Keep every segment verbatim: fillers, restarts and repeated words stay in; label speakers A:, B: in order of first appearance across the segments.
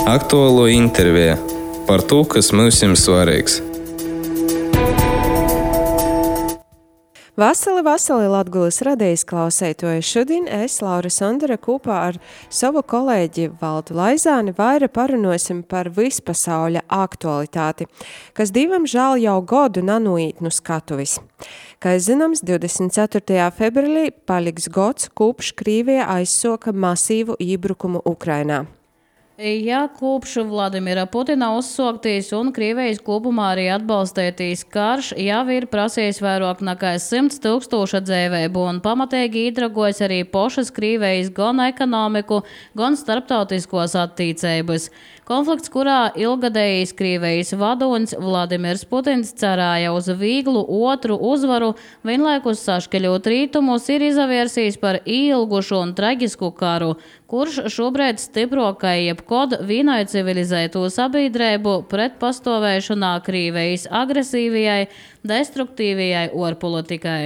A: Aktuālo interviju par to, kas mums ir svarīgs.
B: Vasali, vasali Latgulis radījis klausētoju. Šodien es, Laura Sondara, kopā ar savu kolēģi Valdu Laizāni vaira parunosim par vispasauļa aktualitāti, kas divam žēl jau godu nanūīt nu skatuvis. Kā zināms, divdesmit ceturtajā februārī paliks gods, kopš Krīvija aizsoka masīvu iebrukumu Ukrainā.
C: Ja kopš Vladimira Putina uzsoktīs un Krievijas kopumā arī atbalstētīs karš, jau ir prasījis vairāk nekā simts tūkstoša dzīvību un pamatīgi īdragojas arī pošas Krievijas gan ekonomiku, gan starptautiskos attīcības. Konflikts, kurā ilgadējis Krievijas vadonis Vladimirs Putins cerēja uz vieglu otru uzvaru, vienlaikus saškeļot rītumus, ir izavērsījis par ilgušu un traģisku karu, kurš šobrīd stiprokai jebkod vienai civilizētu sabiedrību pretpastāvēšanā Krievijas agresīvajai, destruktīvajai orpolitikai.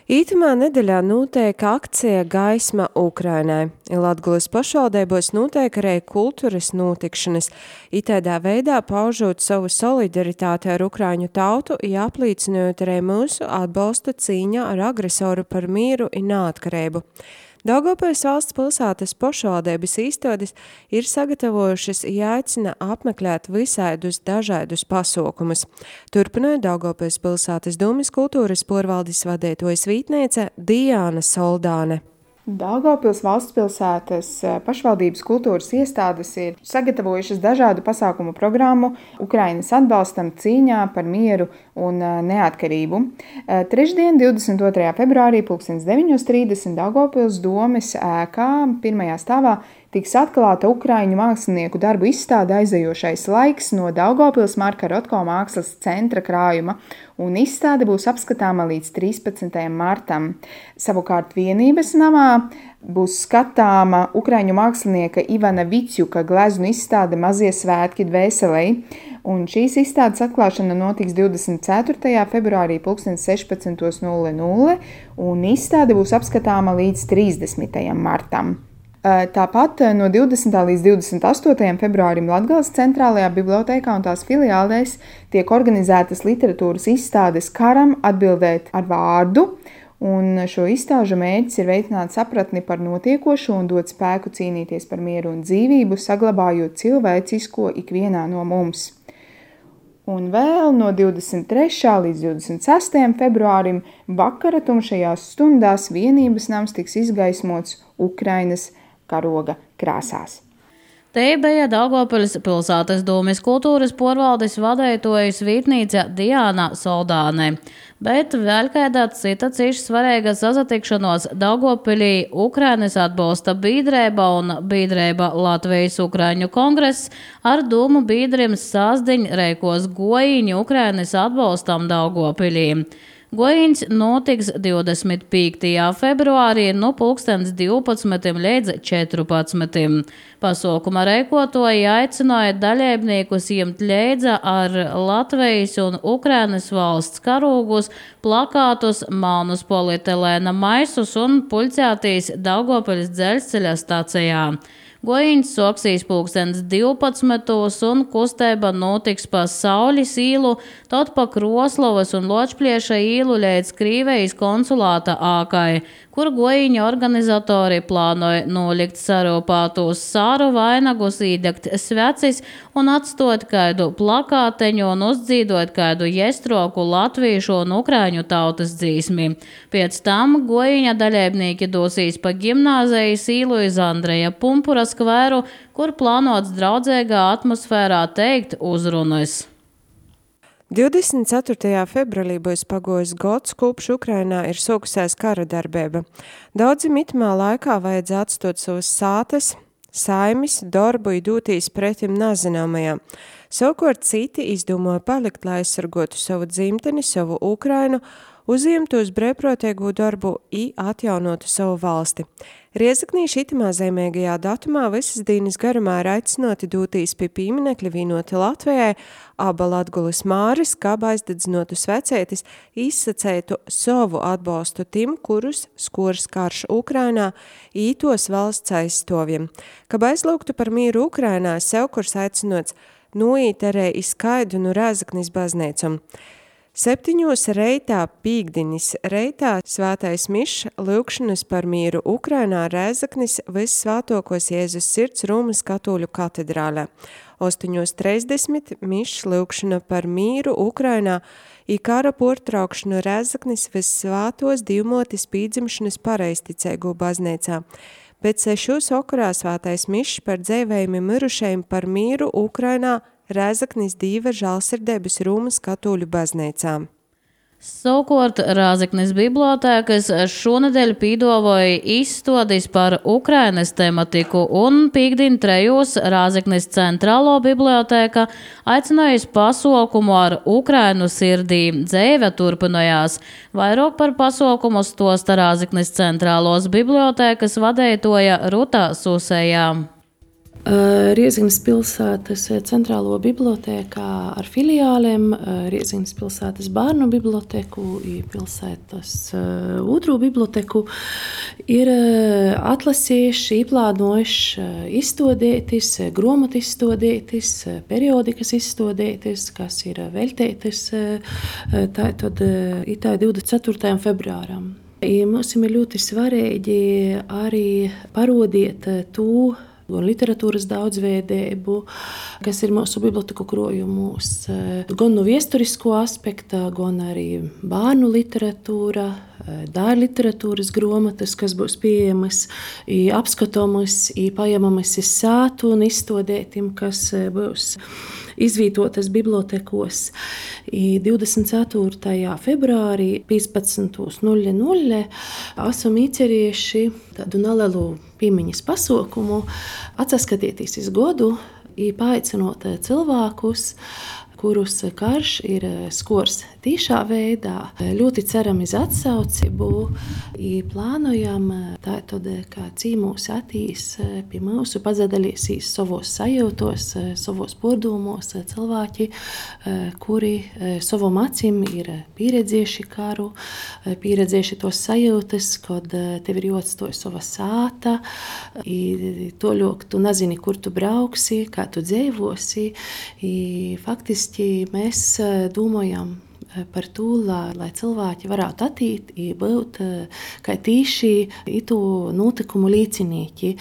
B: Ītumā nedēļā notiek akcija Gaisma Ukrainai. Latgulis pašvaldībos notiek arī kultūras notikšanas. Itēdā veidā paužot savu solidaritāti ar Ukraiņu tautu, jāplīcinot arī mūsu atbalstu cīņā ar agresoru par mieru un neatkarību. Daugavpils valsts pilsētas pašvaldības īstotis ir sagatavojušas jāicina apmeklēt visādus dažādus pasaukumus. Turpināja Daugavpils pilsētas Dūmis kultūras porvaldes vadītojas vītniece Diāna Soldāne.
D: Daugavpils valsts pilsētas pašvaldības kultūras iestādes ir sagatavojušas dažādu pasākumu programmu Ukrainas atbalstam cīņā par mieru un neatkarību. Trešdien, divdesmit otrajā februārī, pulkstens deviņos trīsdesmit Daugavpils domes ēkā pirmajā stāvā tiks atklāta Ukraiņu mākslinieku darbu izstāde Aizejošais laiks no Daugavpils Marka Rotko mākslas centra krājuma, un izstāde būs apskatāma līdz trīspadsmitajam martam. Savukārt Vienības namā būs skatāma Ukraiņu mākslinieka Ivana Vicjuka gleznu izstāde Mazie svētki dvēselei, un šīs izstādes atklāšana notiks divdesmit ceturtajā februārī pulkstens sešpadsmit nulle nulle, un izstāde būs apskatāma līdz trīsdesmitajam martam. Tāpat no divdesmitā līdz divdesmit astotajam februārim Latgales centrālajā bibliotēkā un tās filiālēs tiek organizētas literatūras izstādes Karam atbildēt ar vārdu, un šo izstāžu mērķis ir veicināt sapratni par notiekošo un dot spēku cīnīties par mieru un dzīvību, saglabājot cilvēcisko ikvienā no mums. Un vēl no divdesmit trešā līdz divdesmit sestajam februārim vakara tumšajās stundās Vienības nams tiks izgaismots Ukrainas karoga krāsās.
C: Te bija Daugavpils pilsētas Dūmis kultūras porvaldes vadītojas vītniece Diāna Soldāne. Bet vēl kādā cita cīši svarīga sasatikšanos Daugavpilī Ukrainas atbalsta biedrība un biedrība Latvijas Ukraiņu kongress ar dūmu biedrim sāsdiņ reikos gojiņu Ukrainas atbalstam Daugavpilī. Gojiņš notiks divdesmit piektajā februārī no pulkstens divpadsmit līdz četrpadsmit. Pasaukuma reikotoji aicināja dalībniekus ņemt līdzi ar Latvijas un Ukrainas valsts karūgus, plakātus, melnus polietilēna maisus un pulcētīs Daugavpils dzelzceļa stacijā. Gojiņš soksīs pulkstens divpadsmitos un kustība notiks pa Sauļas īlu, tad pa Kroslovas un Ločplieša īlu līdz Krīvijas konsulāta ākai, kur gojiņa organizatori plānoja nolikt sarūpātos sāru vainagus, īdegt svecis un atstot kādu plakāteņu un uzdzīdot kādu jestroku latviešu un ukraiņu tautas dzīsmi. Pēc tam gojiņa dalībnieki dosīs pa gimnāzijas īlu iz Andreja Pumpura skvēru, kur plānots draudzīgā atmosfērā teikt uzrunas.
B: divdesmit ceturtajā februārī būs pagojis gods, kopš Ukrainā ir sākusies kara darbība. Daudzi mitamā laikā vajadzēja atstot savas sātes, saimis, darbu un dūtīs pretim nezināmajām. Savukārt citi izdomāja palikt, lai aizsargotu savu dzimteni, savu Ukrainu, uzņemtu uz brīvprātīgu darbu i atjaunotu savu valsti. Riezaknī šitamā zīmīgajā datumā visas dienas garumā ir aicinoti dūtīs pie pīminekļa vīnoti Latvijai, aba Latgulis māris, kā aizdedzinotu svecētis, izsacētu savu atbalstu tim, kurus skors karš Ukrainā, ītos valsts aizstoviem. Kā aizlūgtu par mīru Ukrainā, sev kurs aicinots nuīt arī izskaidu nu Rēzaknis baznīcum. Septiņos reitā pīkdinis reitā svētais mišs lūgšanas par mīru Ukrainā Rēzaknis vissvētokos Jēzus sirds Rūmas katoļu katedrālē. Ostoņos treisdesmit mišs lūgšana par mīru Ukrainā i kara portraukšanu Rēzaknis vissvētos divmotis pīdzimšanas pareizticēgu baznīcā. Pēc sešos okarā svētais mišs par dzēvējumi mirušajiem par mīru Ukrainā Rēzaknis dīva žālsirdības Rūmas katoļu baznīcām.
C: Savukārt Rēzaknis bibliotēkas šonedēļ pīdavoja izstādis par Ukrainas tematiku un pīkdien trejos Rēzaknis centrālo bibliotēka aicinājusi pasaukumu ar Ukrainu sirdī. Dzēve turpinājās. Vairāk par pasaukumu stosta Rēzaknis centrālos bibliotēkas vadētoja Ruta Susējā.
E: Rieziknis pilsētas centrālo bibliotēkā ar filiālēm, Rieziknis pilsētas bērnu biblioteku, pilsētas otro biblioteku ir atlasījuši, izplānojuši izstādītis, grāmatu izstādītis, periodikas izstādītis, kas ir veltītas tātad divdesmit ceturtajam februāram. Mums ir ļoti svarīgi arī parādīt to, gan literatūras daudzveidību, kas ir mūsu biblioteku krojumos, gan no viesturisko aspekta, gan arī bērnu literatūra, dāļu literatūras grāmatas, kas būs pieejamas, apskatāmas, paņemamas iz sātu un izstādētim, kas būs izvietotas bibliotekos. divdesmit ceturtajā februārī piecpadsmitos nulle nulle esam iecerējuši tādu nelielu piemiņas pasaukumu, atsaskatieties iz godu, paaicinot cilvēkus, kurus karš ir skors tīšā veidā. Ļoti ceram iz atsaucību, plānojam tātad, kā cīmūs atīs pie mūsu pazadalīsīs savos sajūtos, savos pārdomos cilvēki, kuri savam acīm ir pieredzējuši karu, pieredzējuši tos sajūtas, kad tev ir jāatstāj sava sāta, toļok tu nezini, kur tu brauksi, kā tu dzīvosi. Faktiski mēs domājam par to, lai, lai cilvēki varētu attīt, būt kā tīši itu notikumu līdzinieki,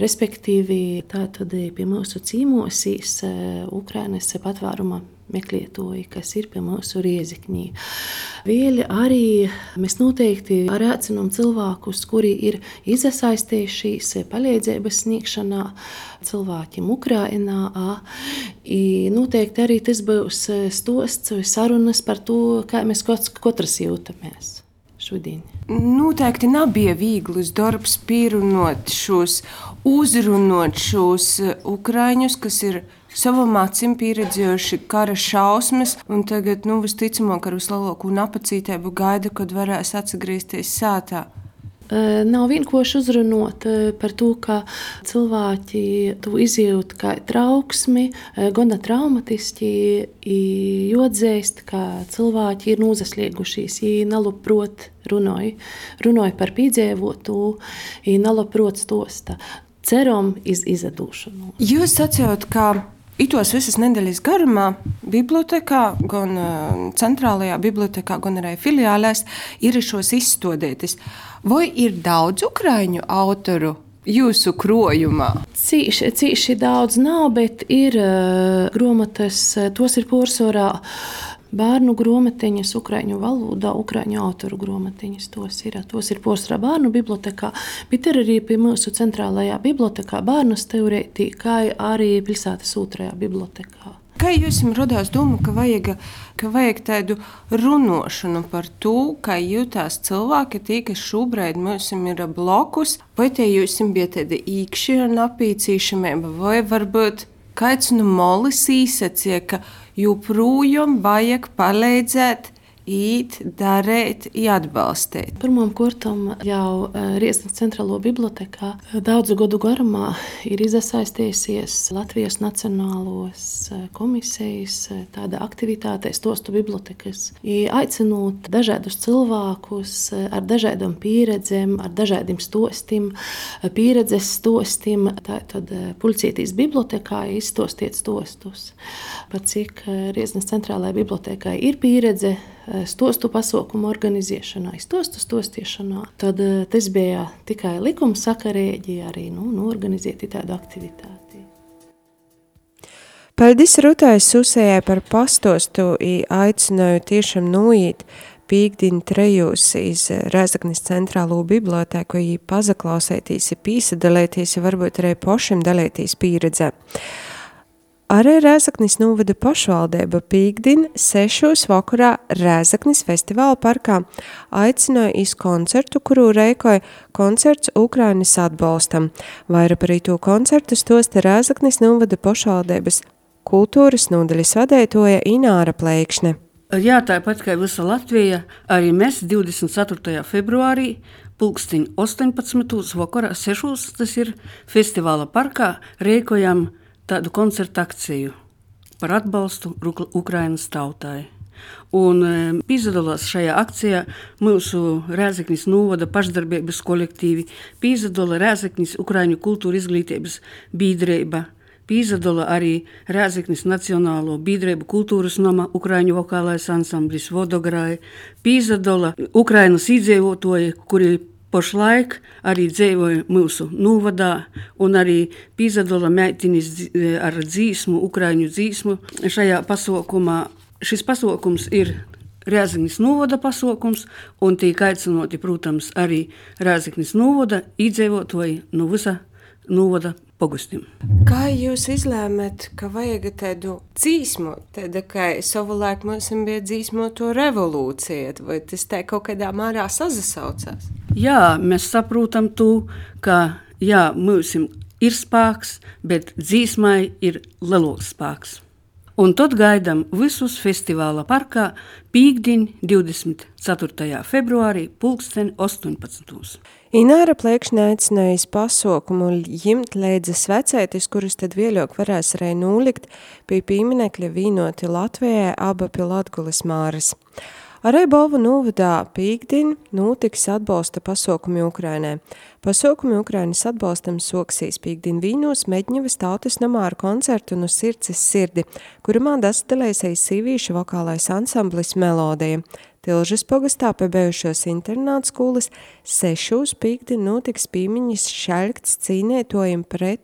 E: respektīvi tātad pie mūsu cīmosīs Ukrainas patvēruma meklētoji, kas ir pie mūsu Rieziknī. Vēl arī mēs noteikti aicinām cilvēkus, kuri ir iesaistījušies palīdzības sniegšanā cilvēkiem Ukrainā. Noteikti arī tas būs stosts vai sarunas par to, kā mēs katrs jūtamies šodien.
B: Noteikti nebija viegls darbs pierunot šos, uzrunot šos ukraiņus, kas ir savam acīm pieredzējuši kara šausmas, un tagad, nu, visticamāk, ar vislielāko napacītību gaida, kad varēs atgriezties sātā.
E: Nav vienkārši uzrunot par to, ka cilvēki to izjūt kā trauksmi, gana traumatiski, jāatzīst, ka cilvēki ir nozasliegušies, viņi nelabprot runāja, runāja par piedzīvotu, viņi nelabprot stosta. Ceram iz izadūšanu.
B: Jūs sacījāt, ka itos visas nedēļas garumā bibliotekā, gan centrālajā bibliotekā, gan arī filiālēs ir šos izstādītis. Vai ir daudz ukraiņu autoru jūsu krojumā?
E: Cīši, cīši daudz nav, bet ir uh, grāmatas, tos ir pārsvarā bērnu grāmatiņas ukraiņu valodā, ukraiņu autoru grāmatiņas. Tos ir, tos ir pārsvarā bērnu bibliotekā, bet ir arī pie mūsu centrālajā bibliotekā bērnu teorētī, kā arī pilsētas otrajā bibliotekā.
B: Kā jums radās doma, ka vajag, ka vajag tādu runošanu par to, kā jūtās cilvēki, tie, kas šobrīd mums ir blokus, vai tie jums bija tāda īkšķa napīcīšamība, vai varbūt kāds no molis īsacīja, ka joprojām vajag palīdzēt īt, darīt, atbalstīt?
E: Pirmām kārtām jau Rieznes centrālo bibliotekā daudzu gadu garumā ir iesaistījusies Latvijas Nacionālos komisijas tāda aktivitātēs, tostu bibliotekas, aicinot dažādus cilvēkus ar dažādām pieredzēm, ar dažādiem stostiem, pieredzes stostiem. Tātad Puļcītīs bibliotekā izstostiet stostus. Par cik Rieznes centrālajai bibliotekai ir pieredze stostu pasaukumu organizēšanā, stostu stostiešanā, tad tas bija tikai likumsakarīgi arī nu, nu, organizēt tādu aktivitāti.
B: Paldies Rutai Susējai par pastostu i aicināju tiešām nuīt pīkdiņu trejūs iz Rēzeknis centrālo biblioteku i pazaklausētīs, i pīsadalētīs, i varbūt arī pošim dalētīs pieredzē. Arī Rēzeknis novada pašvaldība pīkdien sešos vakarā Rēzeknis festivāla parkā aicināja iz koncertu, kuru reikoja koncerts Ukrainas atbalstam. Vaira par īto koncertu stosta Rēzeknis novada pašvaldības kultūras nodaļas vadētoja Ināra Pleikšne.
F: Jā, tāpat kā visa Latvija, arī mēs divdesmit ceturtajā februārī pulksteņ astoņpadsmitos vakarā sešos, tas ir festivāla parkā, reikojam tādu koncertu akciju par atbalstu Ukrainas tautai. Un e, pīzadalās šajā akcijā mūsu Rēzeknis novada pašdarbības kolektīvi, pīzadala Rēzeknis Ukraiņu kultūra izglītības bīdreiba, pīzadala arī Rēzeknis Nacionālo bīdreibu kultūras nama Ukraiņu vokālais ansamblis Vodograi, pīzadala Ukrainas iedzīvotoji, kuri pašlaik arī dzīvoja mūsu novadā, un arī pīzadala meitinis ar dzīsmu, Ukraiņu dzīsmu šajā pasaukumā. Šis pasaukums ir Rēzeknis novada pasaukums, un tiek aicinoti, protams, arī Rēzeknis novada iedzīvotoji no visa novada pogustim.
B: Kā jūs izlēmat, ka vajag tādu dzīsmu, tāda, ka savulaik mums bija dzīsmo to revolūcija, vai tas tā kaut kādā mārā sazasaucās?
F: Jā, mēs saprotam to, ka jā, mums ir spēks, bet dzīsmai ir lielāks spēks. Un tad gaidām visus festivāla parkā pīkdiņ divdesmit ceturtajā februārī pulksten astoņpadsmitos.
B: Ināra Pleikšne aicināja iz pasaukumu ņemt līdzi svecētis, kurus tad vēļāk varēs arī nūlikt pie pīminekļa vīnoti Latvijai aba pie Latgulis māras. Arī Bolvu novadā pīkdiņ notiks atbalsta pasaukumi Ukrainai. Pasaukumi Ukrainas atbalstam soksīs pīkdiņ vīnos Meģņevas tautas namā ar koncertu no sirds sirdi, kurumā dastalēsies sīvīšu vokālais ansamblis Melodija. Tilžas pogastā pie bijušos internāta skolas sešos pīkdiņ notiks pīmiņas šaļkts cīnētojiem pret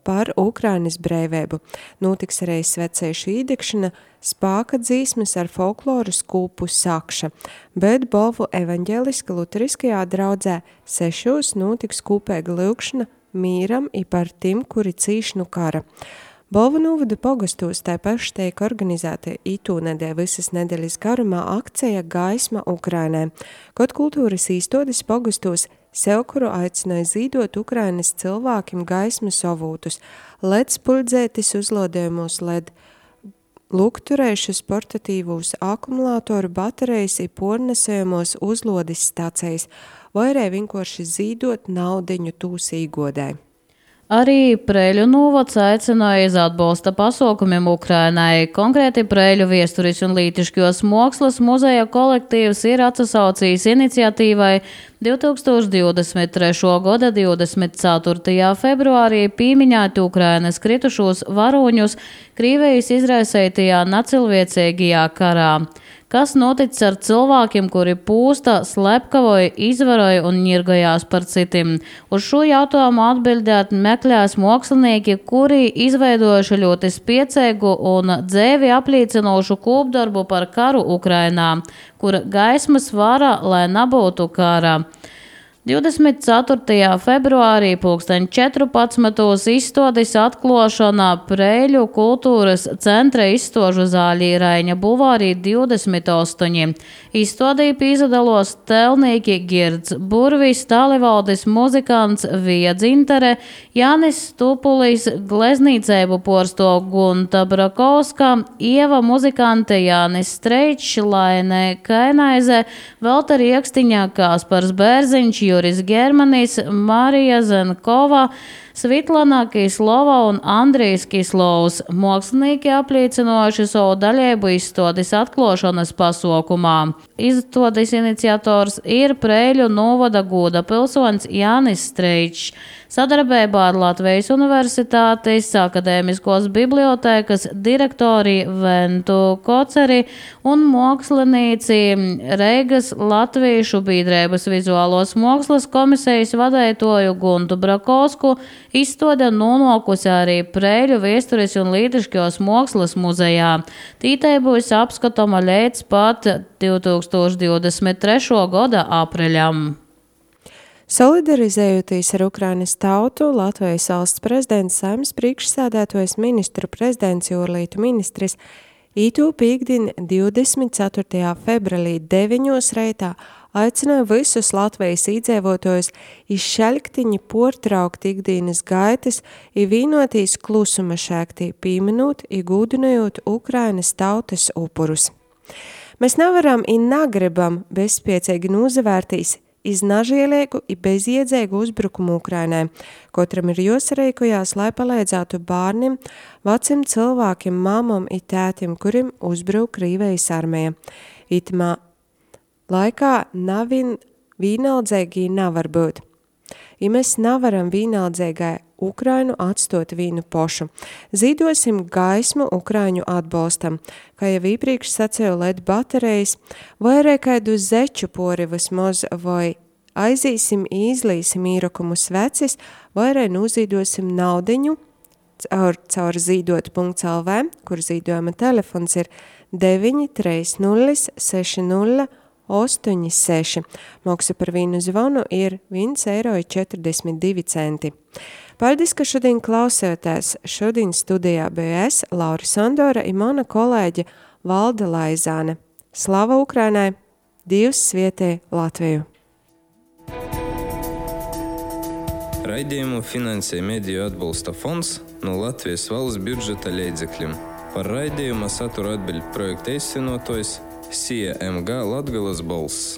B: par Ukrainas brīvību. Notiks arī svecēšu īdekšana, spāka dzīsmes ar folkloru skūpu sakša, bet Bolvu evaņģeliska luteriskajā draudzē sešos notiks kūpēga lūkšana mīram i par tim, kuri cīš nu kara. Bolvu novada pogastos tā paši tiek organizēta itū nedēļ visas nedēļas garumā akcija Gaisma Ukrainai, kaut kultūras īstotis pogastos sevkuru aicināja zīdot Ukrainas cilvēkiem gaismas avūtus, led spuļdzētis uzlodējumos led lukturējušus portatīvūs akumulātoru baterijas i pornesējumos uzlodes stācijas, vai arī vienkārši zīdot naudiņu tūs īgodai.
C: Arī Preļu novads aicināja iz atbalsta pasaukumiem Ukrainai. Konkrēti Preļu viesturis un lītiškos mākslas muzeja kolektīvs ir atsasaucījis iniciatīvai divtūkstoš divdesmit trešā gada divdesmit ceturtajā februārī pīmiņāt Ukrainas kritušos varoņus Krīvijas izraisētajā nacilviecīgajā karā. Kas noticis ar cilvēkiem, kuri pūsta, slepkavoja, izvaroja un ņirgojās par citiem? Uz šo jautājumu atbildēt meklēs mākslinieki, kuri izveidojuši ļoti spiecīgu un dzēvi apliecinošu kopdarbu par karu Ukrainā, kur gaismas vara, lai nebūtu kara. divdesmit ceturtajā februārī pulksten četrpadsmitos izstādes atklāšanā Preiļu kultūras centra izstāžu zāļī Raiņa bulvārī divdesmit astoņi. Izstādī pīzadalos telnīki Girds Burvis, Tālivaldis muzikants Vija Dzintere, Jānis Stupulis, gleznīceibu porsto Gunta Brakovska, Ieva muzikante Jānis Streičs, Laine Kainaize, Velta Riekstiņā, Kāspars Bērziņš, Juris Germanis, Marija Zenkova, Svitlana Kislova un Andrijs Kislovs. Mākslinieki apliecinoši savu daļību izstādes atklāšanas pasaukumā. Izstādes iniciators ir Preiļu novada goda pilsonis Jānis Streičs. Sadarbībā ar Latvijas Universitātes akadēmiskos bibliotēkas direktori Ventu Koceri un mākslinieci Reigas Latviešu biedrības vizuālos mākslas komisijas vadītāju Guntu Brakovsku izstāde nonākusi arī Preiļu vēstures un līdriškos mākslas muzejā. Tītai būs apskatama līdz pat divtūkstoš divdesmit trešā gada apreļam.
B: Solidarizējoties ar Ukrainas tautu, Latvijas valsts prezidents Saeimas priekšsēdētājs ministru prezidents Jūrlītu ministris ītū pīkdien divdesmit ceturtajā februārī deviņos reitā aicināja visus Latvijas iedzīvotājus izšaļktiņi portraukt ikdienas gaitas i vīnotīs klusuma šēktī pīminūt i gūdinojot Ukrainas tautas upurus. Mēs nevaram i negribam bezspiecīgi nūzavērtīs iz nažielīgu i bezjēdzīgu uzbrukumu Ukrainai. Kotram ir jāsareikojās, lai palīdzētu bārnim, vecim cilvēkiem, mamam i tētim, kurim uzbruk Krīvijas armija. Itamā laikā navin vīnaldzēgī nevar būt. I mēs nevaram vīnaldzīgai Ukrainu atstot vīnu pošu. Zīdosim gaismu Ukraiņu atbalstam, kā jau iepriekš sacēju L E D baterijas, vai arī kādu zeču pori vismaz, vai aizīsim izlīsim īrokumu svecis, vai arī nuzīdosim naudiņu caur, caur zīdot punkts L V, kur zīdojuma telefons ir deviņi trīs nulle seši nulle astoņi seši. Maksa par vīnu zvanu ir viens eiro četrdesmit divi centi. Paldies, ka šodien klausēties. Šodien studijā bija es, Laura Sandora, un mana kolēģe Valda Laizāne. Slava Ukrainai! Dievs svietē Latviju!
A: Raidījumu finansē Mediju atbalsta fonds no Latvijas valsts budžeta līdzekļiem. Par raidījuma satura atbild projekta īstenotājs C M G Latgales balss.